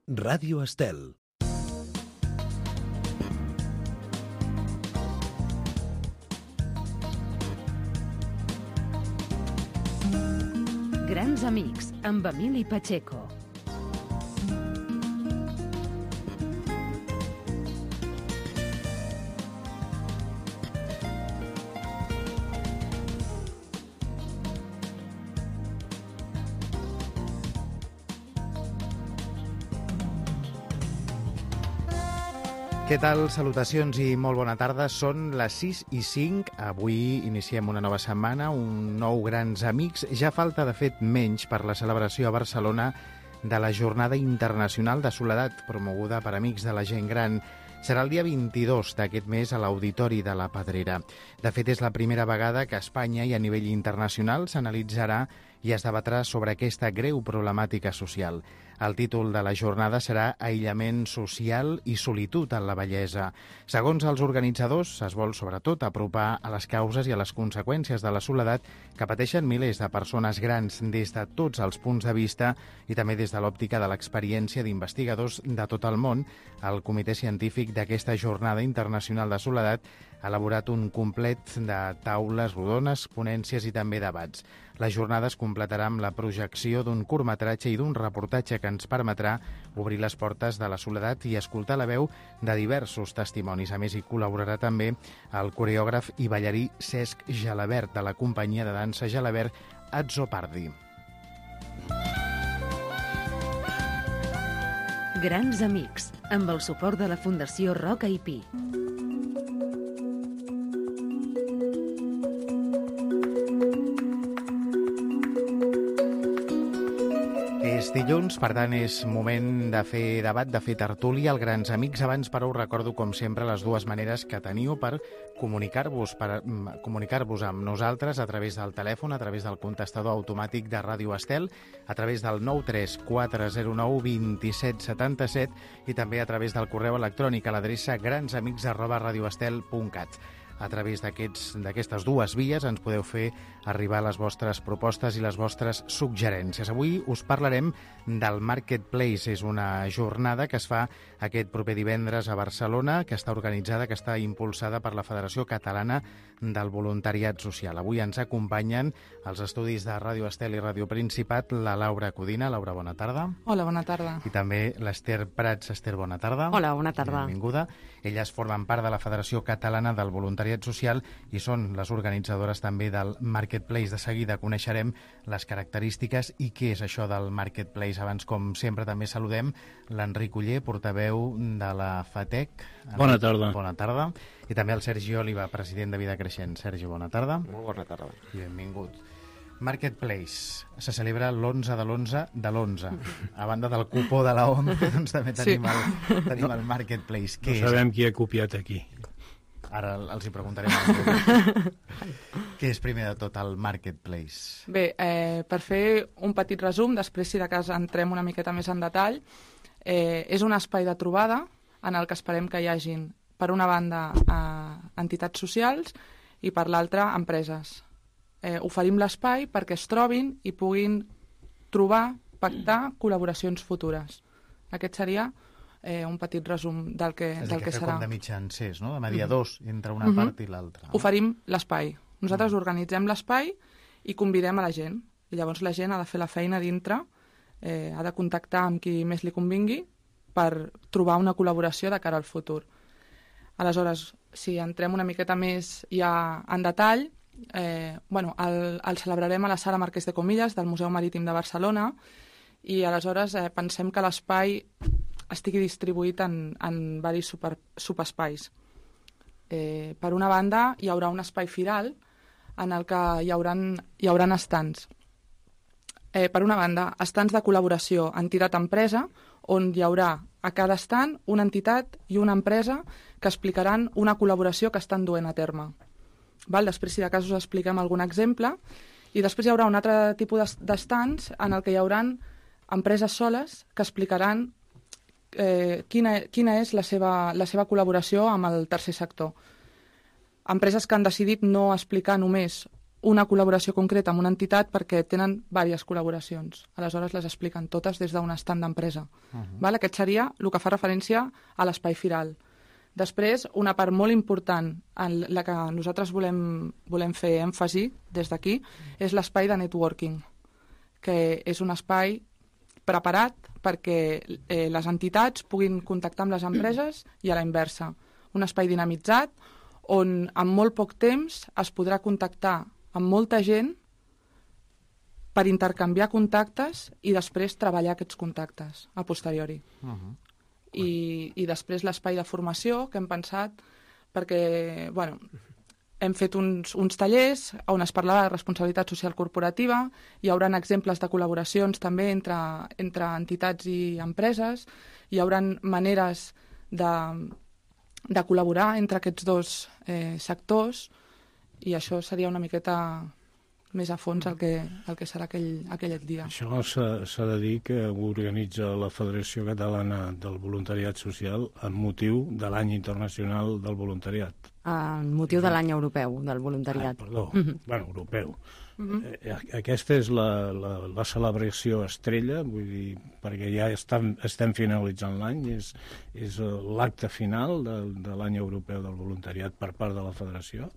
Ràdio Estel. Grans amics, amb Emili Pacheco. Què tal? Salutacions i molt bona tarda. Són les 6:05. Avui iniciem una nova setmana, un nou Grans Amics. Ja falta, de fet, menys per la celebració a Barcelona de la Jornada Internacional de Soledat, promoguda per Amics de la Gent Gran. Serà el dia 22 d'aquest mes a l'Auditori de la Pedrera. De fet, és la primera vegada que a Espanya i a nivell internacional s'analitzarà i es debatrà sobre aquesta greu problemàtica social. El títol de la jornada serà Aïllament social i solitud en la vellesa. Segons els organitzadors, es vol sobretot apropar a les causes i a les conseqüències de la soledat que pateixen milers de persones grans des de tots els punts de vista i també des de l'òptica de l'experiència d'investigadors de tot el món. El comitè científic d'aquesta Jornada Internacional de Soledat ha elaborat un complet de taules rodones, ponències i també debats. La jornada es completarà amb la projecció d'un curtmetratge i d'un reportatge que ens permetrà obrir les portes de la soledat i escoltar la veu de diversos testimonis. A més, hi col·laborarà també el coreògraf i ballarí Cesc Gelabert, de la companyia de dansa Gelabert Azzopardi. Grans Amics, amb el suport de la Fundació Roca i Pi. És dilluns, per tant és moment de fer debat, de fer tertúlia al Grans Amics. Abans, però, us recordo, com sempre, les dues maneres que teniu per comunicar-vos amb nosaltres a través del telèfon, a través del contestador automàtic de Ràdio Estel, a través del 934092777 i també a través del correu electrònic a l'adreça gransamics@radioestel.cat. A través d'aquestes dues vies ens podeu fer arribar les vostres propostes i les vostres suggerències. Avui us parlarem del Marketplace. És una jornada que es fa aquest proper divendres a Barcelona, que està organitzada, que està impulsada per la Federació Catalana del Voluntariat Social. Avui ens acompanyen als estudis de Ràdio Estel i Ràdio Principat la Laura Codina. Laura, bona tarda. Hola, bona tarda. I també l'Ester Prats. Ester, bona tarda. Hola, bona tarda. Benvinguda. Elles formen part de la Federació Catalana del Voluntariat Social i són les organitzadores també del Marketplace. De seguida coneixerem les característiques i què és això del Marketplace. Abans, com sempre, també saludem l'Enric Oller, portaveu de la FATEC. Bona tarda. Bona tarda. I també el Sergi Oliva, president de Vida Creixent. Sergi, bona tarda. Molt bona tarda. I benvingut. Marketplace se celebra l'11 de l'11 de l'11. A banda del cupó de la OMC, doncs també tenim el Marketplace. No sabem qui ha copiat aquí. Ara els hi preguntarem. Què és primer de tot el Marketplace? Bé, per fer un petit resum, després si de cas entrem una miqueta més en detall, és un espai de trobada en el que esperem que hi hagin, per una banda, entitats socials i per l'altra, empreses. Oferim l'espai perquè es trobin i puguin trobar, pactar col·laboracions futures. Aquest seria un petit resum del que serà. És el que fa com de mitjancers, no? De mediadors entre una part i l'altra. No? Oferim l'espai. Nosaltres organitzem l'espai i convidem a la gent. I llavors la gent ha de fer la feina dintre, ha de contactar amb qui més li convingui per trobar una col·laboració de cara al futur. Aleshores, si entrem una miqueta més ja en detall, el celebrarem a la Sala Marquès de Comillas del Museu Marítim de Barcelona i aleshores pensem que l'espai estigui distribuït en diversos subespais. Per una banda, hi haurà un espai firal en el que hi hauran estants. Per una banda, estants de col·laboració entitat-empresa, on hi haurà a cada estant una entitat i una empresa que explicaran una col·laboració que estan duent a terme. Després, si de cas, us expliquem algun exemple. I després hi haurà un altre tipus d'estants en el que hi haurà empreses soles que explicaran quina és la seva col·laboració amb el tercer sector. Empreses que han decidit no explicar només una col·laboració concreta amb una entitat perquè tenen diverses col·laboracions. Aleshores les expliquen totes des d'un estand d'empresa. Val? Aquest seria el que fa referència a l'espai firal. Després, una part molt important en la que nosaltres volem fer èmfasi des d'aquí és l'espai de networking, que és un espai preparat perquè les entitats puguin contactar amb les empreses i a la inversa. Un espai dinamitzat on en molt poc temps es podrà contactar amb molta gent per intercanviar contactes i després treballar aquests contactes a posteriori. I després l'espai de formació que hem pensat perquè, hem fet uns tallers on es parlarà de responsabilitat social corporativa, hi haurà exemples de col·laboracions també entre entitats i empreses, hi haurà maneres de col·laborar entre aquests dos sectors i això seria una miqueta més a fons el que serà aquell dia. Això s'ha de dir que ho organitza la Federació Catalana del Voluntariat Social amb motiu de l'any internacional del voluntariat. Amb motiu de l'any europeu del voluntariat. Europeu. Aquesta és la celebració estrella, vull dir, perquè ja estem finalitzant l'any, és l'acte final de l'any europeu del voluntariat per part de la Federació?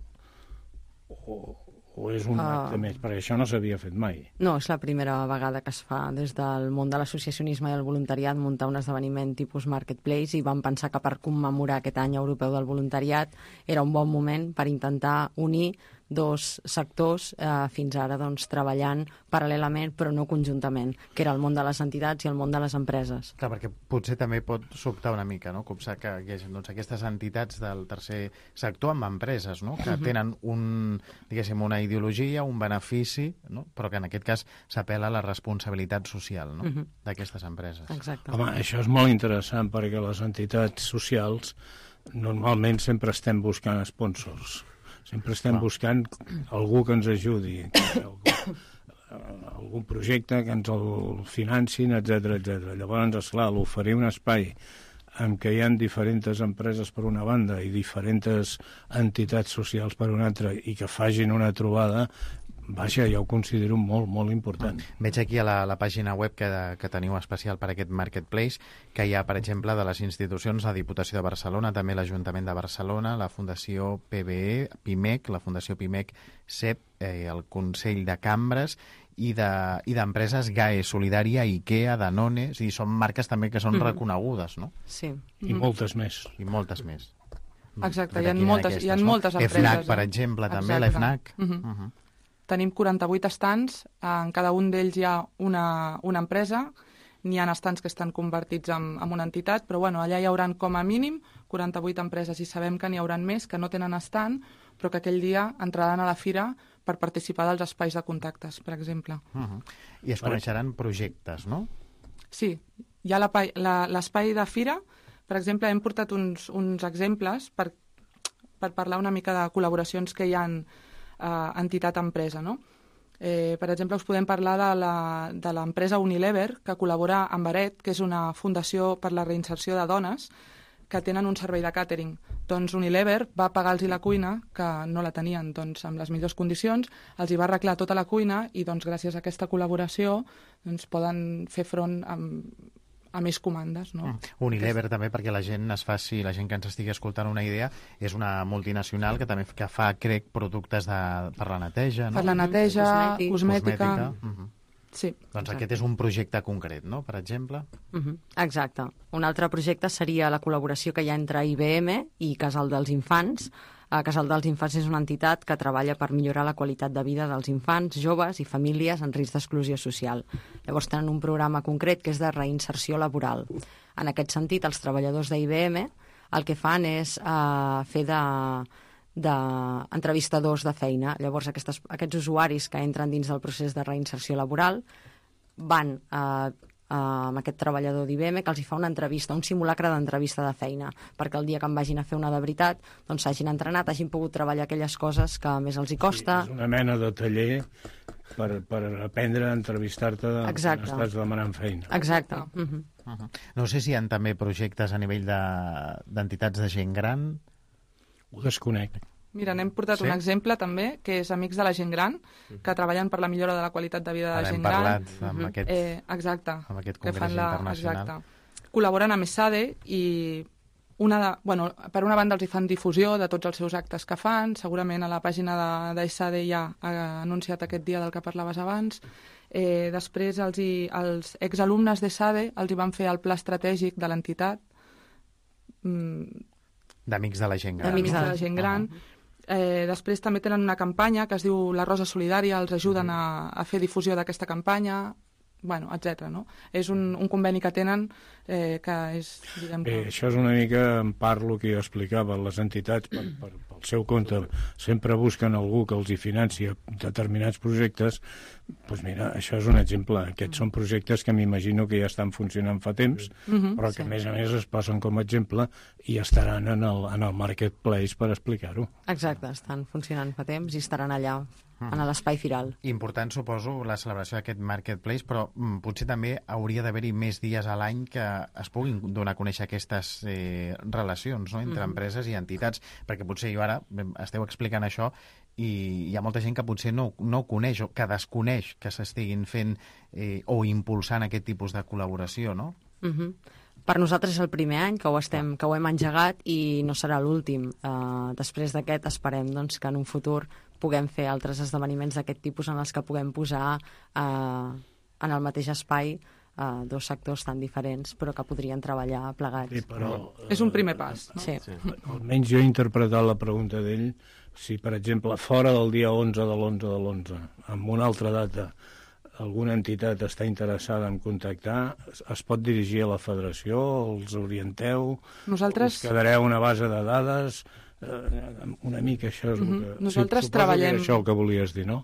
O és un acte més? Perquè això no s'havia fet mai. No, és la primera vegada que es fa des del món de l'associacionisme i el voluntariat muntar un esdeveniment tipus Marketplace i vam pensar que per commemorar aquest any europeu del voluntariat era un bon moment per intentar unir dos sectors fins ara treballant paral·lelament però no conjuntament, que era el món de les entitats i el món de les empreses. Clar, perquè potser també pot sobtar una mica, no? Copsar que hi hagi aquestes entitats del tercer sector amb empreses, no? Que tenen una ideologia, un benefici, no? Però que en aquest cas s'apel·la a la responsabilitat social, no? D'aquestes empreses. Exacte. Home, això és molt interessant perquè les entitats socials normalment sempre estem buscant sponsors. Sempre estem buscant algú que ens ajudi, algun projecte que ens el financin, etc. Llavors, esclar, l'oferir un espai en què hi ha diferents empreses per una banda i diferents entitats socials per una altra i que facin una trobada, vaja, jo ho considero molt, molt important. Veig aquí a la pàgina web que teniu especial per aquest Marketplace, que hi ha, per exemple, de les institucions, la Diputació de Barcelona, també l'Ajuntament de Barcelona, la Fundació PBE, PIMEC, la Fundació PIMEC, CEP, el Consell de Cambres i d'empreses GAE, Solidària, IKEA, Danone, i són marques també que són reconegudes, no? Sí. I moltes més. I moltes més. Exacte, hi ha moltes empreses. FNAC, per exemple, també, l'FNAC. Tenim 48 estants, en cada un d'ells hi ha una empresa, n'hi ha estants que estan convertits en una entitat, però allà hi haurà com a mínim 48 empreses i sabem que n'hi haurà més que no tenen estant, però que aquell dia entraran a la fira per participar dels espais de contactes, per exemple. I es coneixeran projectes, no? Sí, hi ha l'espai de fira, per exemple, hem portat uns exemples per parlar una mica de col·laboracions que hi ha entitat-empresa, no? Per exemple, us podem parlar de l'empresa Unilever, que col·labora amb Aret, que és una fundació per la reinserció de dones, que tenen un servei de càtering. Doncs Unilever va pagar-los la cuina, que no la tenien amb les millors condicions, els hi va arreglar tota la cuina i gràcies a aquesta col·laboració poden fer front a més comandes, no? Unilever també, perquè la gent que ens estigui escoltant una idea, és una multinacional que també fa, crec, productes per la neteja, no? Per la neteja, cosmètica. Sí. Doncs aquest és un projecte concret, no?, per exemple. Exacte. Un altre projecte seria la col·laboració que hi ha entre IBM i Casal dels Infants. Casal dels Infants és una entitat que treballa per millorar la qualitat de vida dels infants, joves i famílies en risc d'exclusió social. Llavors tenen un programa concret que és de reinserció laboral. En aquest sentit, els treballadors d'IBM el que fan és fer d'entrevistadors de feina. Llavors aquests usuaris que entren dins del procés de reinserció laboral van amb aquest treballador d'IBM que els hi fa una entrevista, un simulacre d'entrevista de feina, perquè el dia que en vagin a fer una de veritat s'hagin entrenat, hagin pogut treballar aquelles coses que més els hi costa. Sí, és una mena de taller per aprendre a entrevistar-te quan estàs demanant feina. Exacte. No sé si hi ha també projectes a nivell d'entitats de gent gran. Ho desconec. Mira, n'hem portat un exemple també, que és Amics de la Gent Gran, que treballen per la millora de la qualitat de vida de la gent gran. Ara hem parlat amb aquest, exacte, amb aquest que congrés fan internacional. Exacte. Col·laboren amb ESADE i per una banda els hi fan difusió de tots els seus actes que fan, segurament a la pàgina d'ESADE ja ha anunciat aquest dia del que parlaves abans. Després els exalumnes d'ESADE els hi van fer el pla estratègic de l'entitat, d'Amics de la Gent Gran. D'Amics de la Gent Gran. Després també tenen una campanya que es diu La Rosa Solidària, els ajuden a fer difusió d'aquesta campanya, etc. No? És un conveni que tenen que és... Això és una mica en part el que jo explicava. Les entitats, pel seu compte, sempre busquen algú que els hi financi determinats projectes. Doncs mira, això és un exemple. Aquests són projectes que m'imagino que ja estan funcionant fa temps, però que a més es posen com a exemple i estaran en el marketplace per explicar-ho. Exacte, estan funcionant fa temps i estaran allà, en l'espai firal. Important, suposo, la celebració d'aquest marketplace, però potser també hauria d'haver-hi més dies a l'any que es puguin donar a conèixer aquestes relacions, no?, entre empreses i entitats, perquè potser jo ara esteu explicant això i hi ha molta gent que potser no coneix o que desconeix que s'estiguin fent o impulsant aquest tipus de col·laboració, no? Per nosaltres és el primer any que ho hem engegat i no serà l'últim. Després d'aquest esperem que en un futur puguem fer altres esdeveniments d'aquest tipus en els que puguem posar en el mateix espai dos sectors tan diferents però que podrien treballar plegats. Sí, però, és un primer pas, no? Sí. Almenys jo he interpretat la pregunta d'ell, si per exemple fora del dia 11 de l'11 amb una altra data alguna entitat està interessada en contactar, es pot dirigir a la federació, els orienteu, us quedareu una base de dades, una mica això és el que... Nosaltres treballem... Que això el que volies dir, no?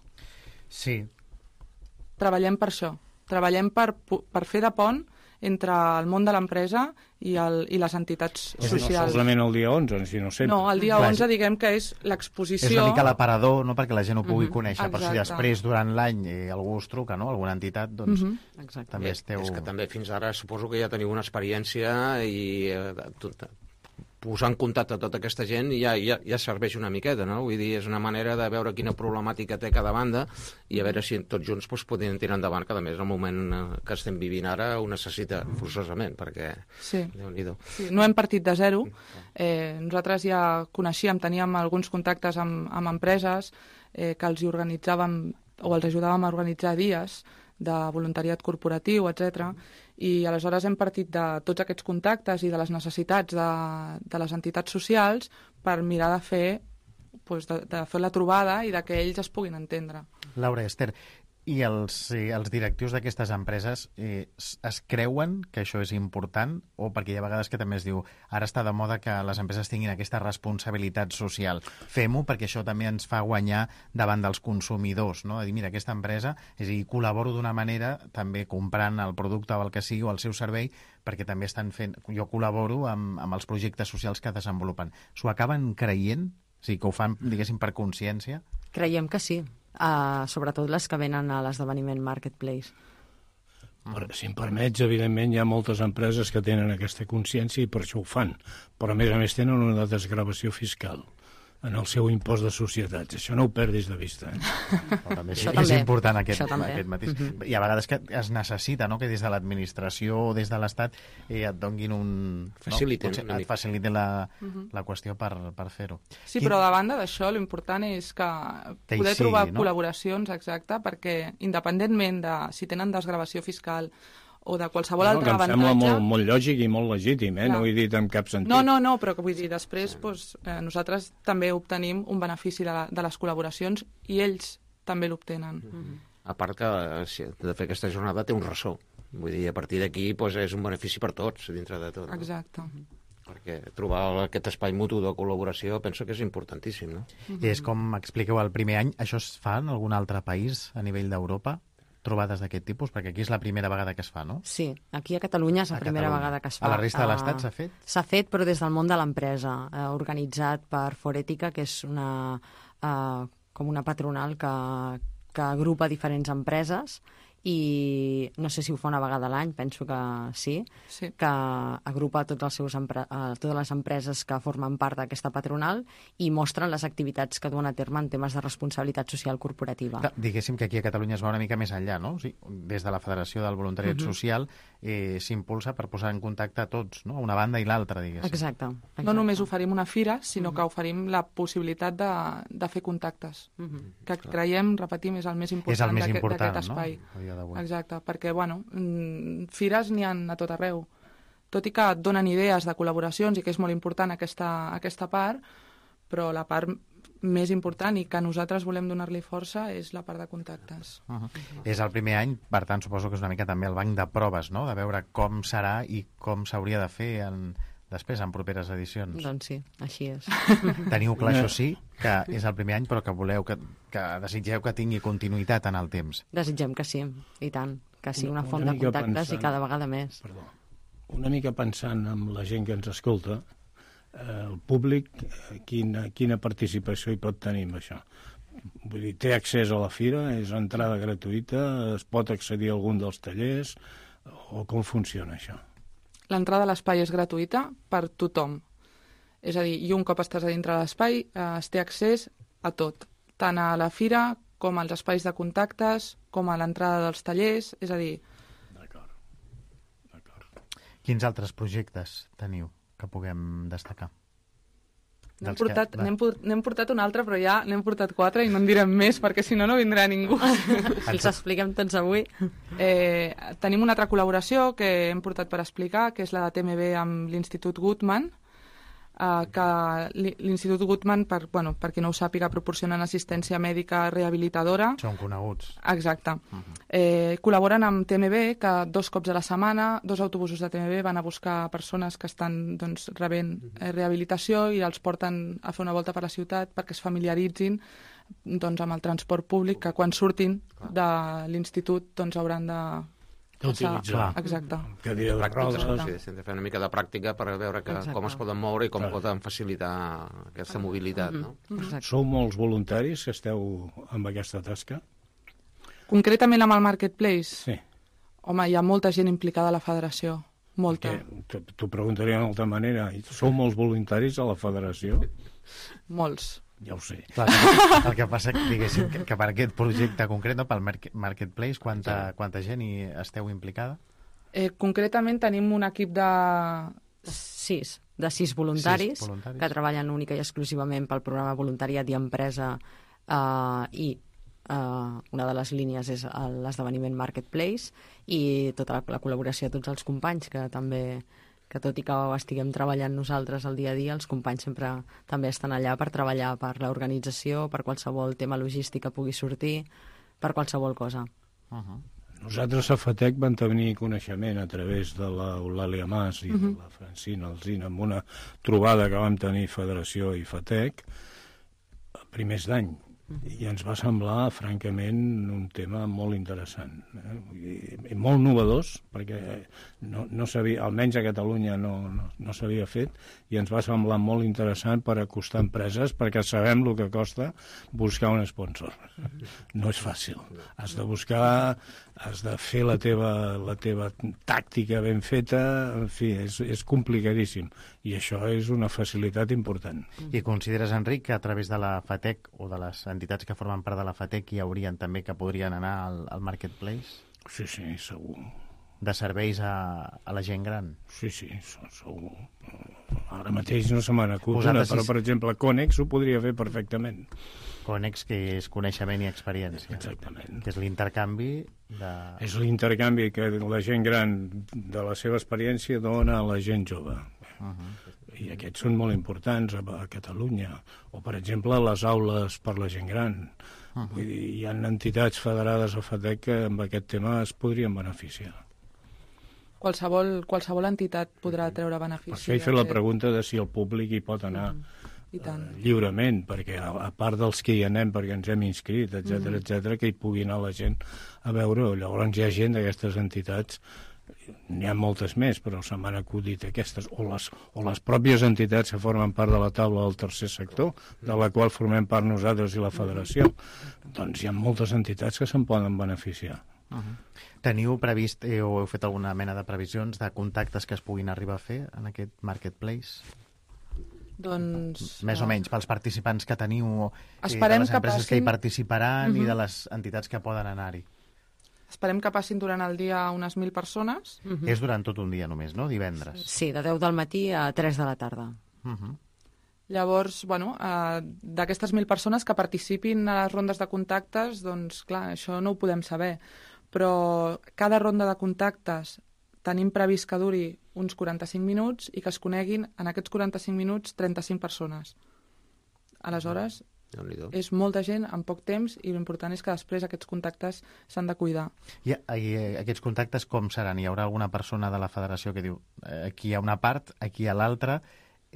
Sí. Treballem per això. Treballem per fer de pont entre el món de l'empresa i les entitats socials. No solament el dia 11, sinó sempre. No, el dia 11 diguem que és l'exposició... És una mica l'aparador, no?, perquè la gent ho pugui conèixer. Per si després, durant l'any, algú us truca, no?, alguna entitat, doncs també esteu... És que també fins ara suposo que ja teniu una experiència i posar en contacte tota aquesta gent ja serveix una miqueta, no? Vull dir, és una manera de veure quina problemàtica té cada banda i a veure si tots junts podem tirar endavant, que a més el moment que estem vivint ara ho necessita forçosament, perquè... Sí. No hem partit de zero. Nosaltres ja coneixíem, teníem alguns contactes amb empreses que els organitzàvem o els ajudàvem a organitzar dies de voluntariat corporatiu, etc. I aleshores hem partit de tots aquests contactes i de les necessitats de les entitats socials per mirar de fer la trobada i de que ells es puguin entendre. Laura, Esther, i els directius d'aquestes empreses es creuen que això és important, o perquè hi ha vegades que també es diu ara està de moda que les empreses tinguin aquesta responsabilitat social, fem-ho perquè això també ens fa guanyar davant dels consumidors, no? A dir, mira, aquesta empresa, és a dir, col·laboro d'una manera també comprant el producte o el que sigui o el seu servei, perquè també estan fent, jo col·laboro amb els projectes socials que desenvolupen. S'ho acaben creient? O sigui, que ho fan, diguéssim, per consciència? Creiem que sí. Sobretot les que venen a l'esdeveniment Marketplace. Si em permets, evidentment hi ha moltes empreses que tenen aquesta consciència i per això ho fan, però a més tenen una desgravació fiscal en el seu impost de societats. Això no ho perdis de vista. També és important aquest matís. Hi ha vegades que es necessita, no?, que des de l'administració o des de l'Estat et donguin et faciliten la qüestió per fer-ho. Sí, però a banda d'això, l'important és que poder trobar col·laboracions, exacte, perquè independentment de si tenen desgravació fiscal o de qualsevol altre avantatge... Em sembla molt lògic i molt legítim, no ho he dit en cap sentit. No, però que vull dir, després nosaltres també obtenim un benefici de les col·laboracions i ells també l'obtenen. A part que de fer aquesta jornada té un ressò. Vull dir, a partir d'aquí és un benefici per tots, dintre de tot. Exacte. Perquè trobar aquest espai mutu de col·laboració penso que és importantíssim, no? I és com expliqueu el primer any, això es fa en algun altre país a nivell d'Europa? Trobades d'aquest tipus? Perquè aquí és la primera vegada que es fa, no? Sí, aquí a Catalunya és la primera vegada que es fa. A la resta de l'Estat s'ha fet? S'ha fet, però des del món de l'empresa, organitzat per Forètica, que és com una patronal que agrupa diferents empreses i no sé si ho fa una vegada a l'any, penso que sí, que agrupa totes les empreses que formen part d'aquesta patronal i mostren les activitats que duen a terme en temes de responsabilitat social corporativa. Diguéssim que aquí a Catalunya es va una mica més enllà, no? O sigui, des de la Federació del Voluntariat Social s'impulsa per posar en contacte a tots, no? Una banda i l'altra, diguéssim. Exacte. No només oferim una fira, sinó que oferim la possibilitat de fer contactes, que creiem, repetim, és el més important d'aquest espai. No? Exacte, perquè, bueno, fires n'hi ha a tot arreu. Tot i que et donen idees de col·laboracions i que és molt important aquesta part, però la part més important i que nosaltres volem donar-li força és la part de contactes. És el primer any, per tant, suposo que és una mica també el banc de proves, no?, de veure com serà i com s'hauria de fer després, en properes edicions. Doncs sí, així és. Teniu clar, això sí, que és el primer any, però que voleu, que desitgeu que tingui continuïtat en el temps. Desitgem que sí, i tant, que sigui una font de contactes i cada vegada més. Perdó. Una mica pensant en la gent que ens escolta, el públic, quina participació hi pot tenir amb això? Vull dir, té accés a la fira, és entrada gratuïta, es pot accedir a algun dels tallers, o com funciona això? L'entrada a l'espai és gratuïta per tothom. És a dir, i un cop estàs a dintre de l'espai, es té accés a tot, tant a la fira com als espais de contactes, com a l'entrada dels tallers, és a dir... D'acord. Quins altres projectes teniu que puguem destacar? N'hem portat un altre, però ja n'hem portat 4 i no en direm més, perquè si no vindrà ningú. Els expliquem tots avui. Tenim una altra col·laboració que hem portat per explicar, que és la de TMB amb l'Institut Guttmann, que l'Institut Guttmann, per qui no ho sàpiga, proporcionen assistència mèdica rehabilitadora. Són coneguts. Exacte. Col·laboren amb TMB, que 2 cops a la setmana, 2 autobusos de TMB van a buscar persones que estan rebent rehabilitació i els porten a fer una volta per la ciutat perquè es familiaritzin amb el transport públic, que quan surtin de l'institut hauran d'utilitzar. Exacte. Cadira de rodes. Sí, de fer una mica de pràctica per veure com es poden moure i com poden facilitar aquesta mobilitat. No? Sou molts voluntaris que esteu amb aquesta tasca? Concretament amb el Marketplace? Sí. Home, hi ha molta gent implicada a la federació. Molta. T'ho preguntaria d'una altra manera. Sou molts voluntaris a la federació? Molts. Ja ho sé. Clar, el que passa diguéssim, que per aquest projecte concret, no, pel Marketplace, quanta gent hi esteu implicada? Concretament tenim un equip de 6 voluntaris que treballen única i exclusivament pel programa voluntariat i empresa i una de les línies és l'esdeveniment Marketplace i tota la col·laboració de tots els companys que tot i que ho estiguem treballant nosaltres el dia a dia, els companys sempre també estan allà per treballar per l'organització, per qualsevol tema logístic que pugui sortir, per qualsevol cosa. Nosaltres a FATEC vam tenir coneixement a través de l'Eulàlia Mas i de la Francina Alsina amb una trobada que vam tenir Federació i FATEC a primers d'any. I ens va semblar, francament, un tema molt interessant. I molt novedós, perquè no s'havia, almenys a Catalunya no s'havia fet, i ens va semblar molt interessant per acostar empreses, perquè sabem el que costa buscar un sponsor. No és fàcil. Has de fer la teva tàctica ben feta, en fi, és complicadíssim. I això és una facilitat important. I consideres, Enric, que a través de la FATEC o de les entitats que formen part de la FATEC hi haurien també que podrien anar al Marketplace? Sí, segur. De serveis a la gent gran? Sí, segur. Ara mateix no se me n'acut una, però, per exemple, Conex ho podria fer perfectament. Conex, que és coneixement i experiència. Exactament. Que és l'intercanvi de... És l'intercanvi que la gent gran de la seva experiència dona a la gent jove. I aquests són molt importants a Catalunya. O, per exemple, les aules per la gent gran. Vull dir, hi ha entitats federades a FATEC que amb aquest tema es podrien beneficiar. Qualsevol entitat podrà treure benefici. Per això he fet la pregunta de si el públic hi pot anar lliurement, perquè a part dels que hi anem perquè ens hem inscrit, etc, que hi pugui anar la gent a veure. Llavors hi ha gent d'aquestes entitats, n'hi ha moltes més, però se m'han acudit aquestes, o les pròpies entitats que formen part de la taula del tercer sector, de la qual formem part nosaltres i la federació. Doncs hi ha moltes entitats que se'n poden beneficiar. Teniu previst o heu fet alguna mena de previsions de contactes que es puguin arribar a fer en aquest marketplace? Doncs... Més o menys, pels participants que teniu, Esperem de les empreses que hi participaran i de les entitats que poden anar-hi. Esperem que passin durant el dia unes 1.000 persones. És durant tot un dia només, no? Divendres. Sí, de 10 del matí a 3 de la tarda. Llavors, bueno, d'aquestes 1.000 persones que participin a les rondes de contactes, doncs clar, això no ho podem saber. Però cada ronda de contactes tenim previst que duri uns 45 minuts i que es coneguin en aquests 45 minuts 35 persones. Aleshores, és molta gent en poc temps i l'important és que després aquests contactes s'han de cuidar. I aquests contactes com seran? Hi haurà alguna persona de la federació que diu aquí hi ha una part, aquí hi ha l'altra,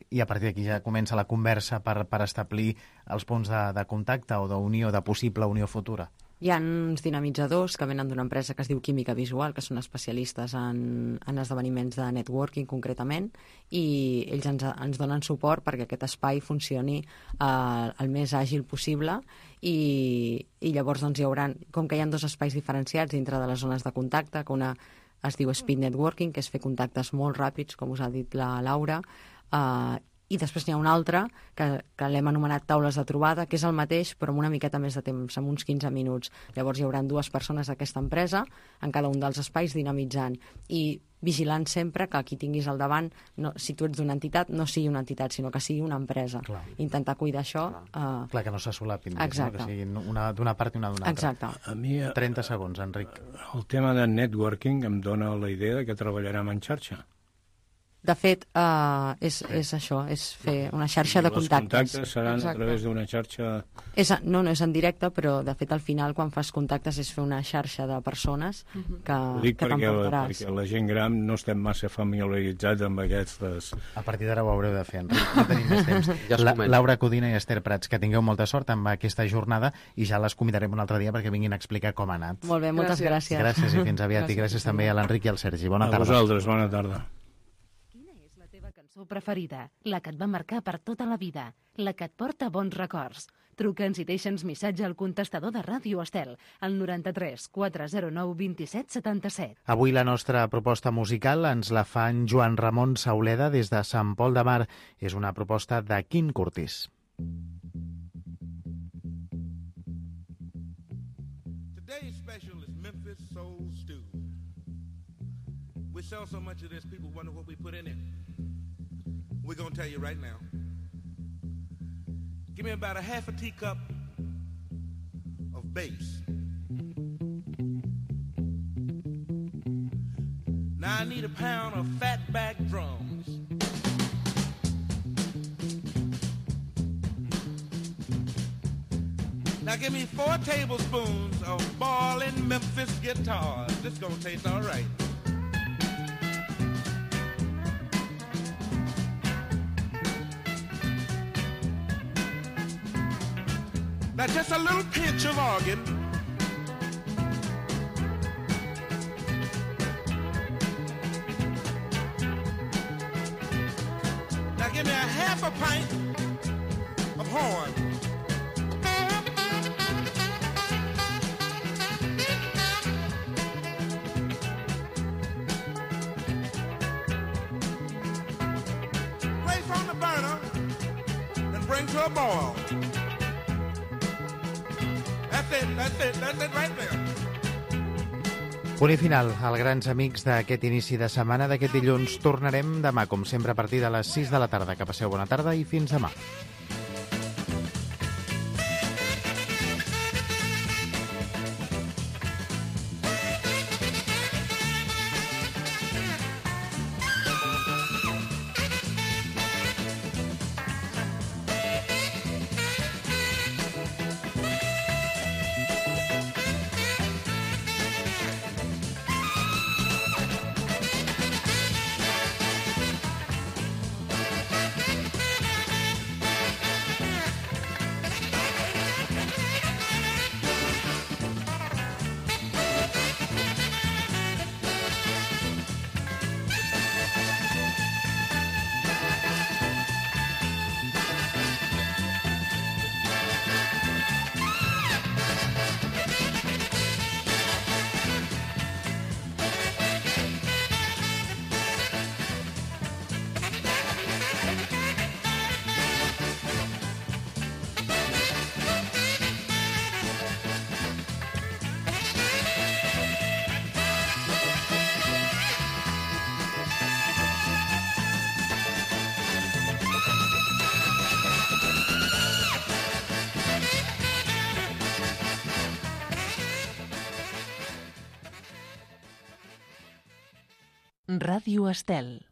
i a partir d'aquí ja comença la conversa per establir els punts de contacte o d'unió, de possible unió futura? Hi ha uns dinamitzadors que venen d'una empresa que es diu Química Visual, que són especialistes en esdeveniments de networking concretament, i ells ens donen suport perquè aquest espai funcioni el més àgil possible i llavors doncs, hi haurà, com que hi ha dos espais diferenciats dintre de les zones de contacte, que una es diu Speed Networking, que és fer contactes molt ràpids, com us ha dit la Laura, i després n'hi ha una altra que l'hem anomenat taules de trobada, que és el mateix però amb una miqueta més de temps, amb uns 15 minuts. Llavors hi haurà 2 persones d'aquesta empresa en cada un dels espais dinamitzant i vigilant sempre que qui tinguis al davant, si tu ets d'una entitat, no sigui una entitat, sinó que sigui una empresa. Clar. Intentar cuidar això. Clar, que no se solapin, no? Exacte. Que siguin una d'una part i una d'una altra. Exacte. A mi, 30 segons, Enric. el tema de networking em dona la idea de que treballarem en xarxa. De fet, és això, és fer una xarxa de contactes. Els contactes seran a través d'una xarxa... No és en directe, però de fet al final quan fas contactes és fer una xarxa de persones que Ho dic t'emportaràs. perquè la gent gran no estem massa familiaritzats amb aquestes... A partir d'ara ho haureu de fer, Enric. No tenim més temps. Ja es comenta. Laura Codina i Esther Prats, que tingueu molta sort amb aquesta jornada i ja les convidarem un altre dia perquè vinguin a explicar com ha anat. Molt bé, moltes gràcies. Gràcies i fins aviat. I gràcies també a l'Enric i al Sergi. Bona A tarda. vosaltres, bona tarda. Cançó preferida, la que et va marcar per tota la vida, la que et porta bons records. Truca'ns i deixa'ns missatge al contestador de Ràdio Estel, al 93 409 27 77. Avui la nostra proposta musical ens la fa en Joan Ramon Sauleda des de Sant Pol de Mar. És una proposta de Quim Curtis. Today's special is Memphis Soul Stew. We sell so much of this, people wonder what we put in it. We're going to tell you right now. Give me about a half a teacup of bass. Now I need a pound of fatback drums. Now give me 4 tablespoons of ballin' Memphis guitars. This gonna taste all right. Now just a little pinch of organ. Now give me a half a pint of horn. Place on the burner and bring to a boil. That's it right there. Punt i final, als grans amics d'aquest inici de setmana d'aquest dilluns. Tornarem demà, com sempre, a partir de les 6 de la tarda. Que passeu bona tarda i fins demà. Ràdio Estel.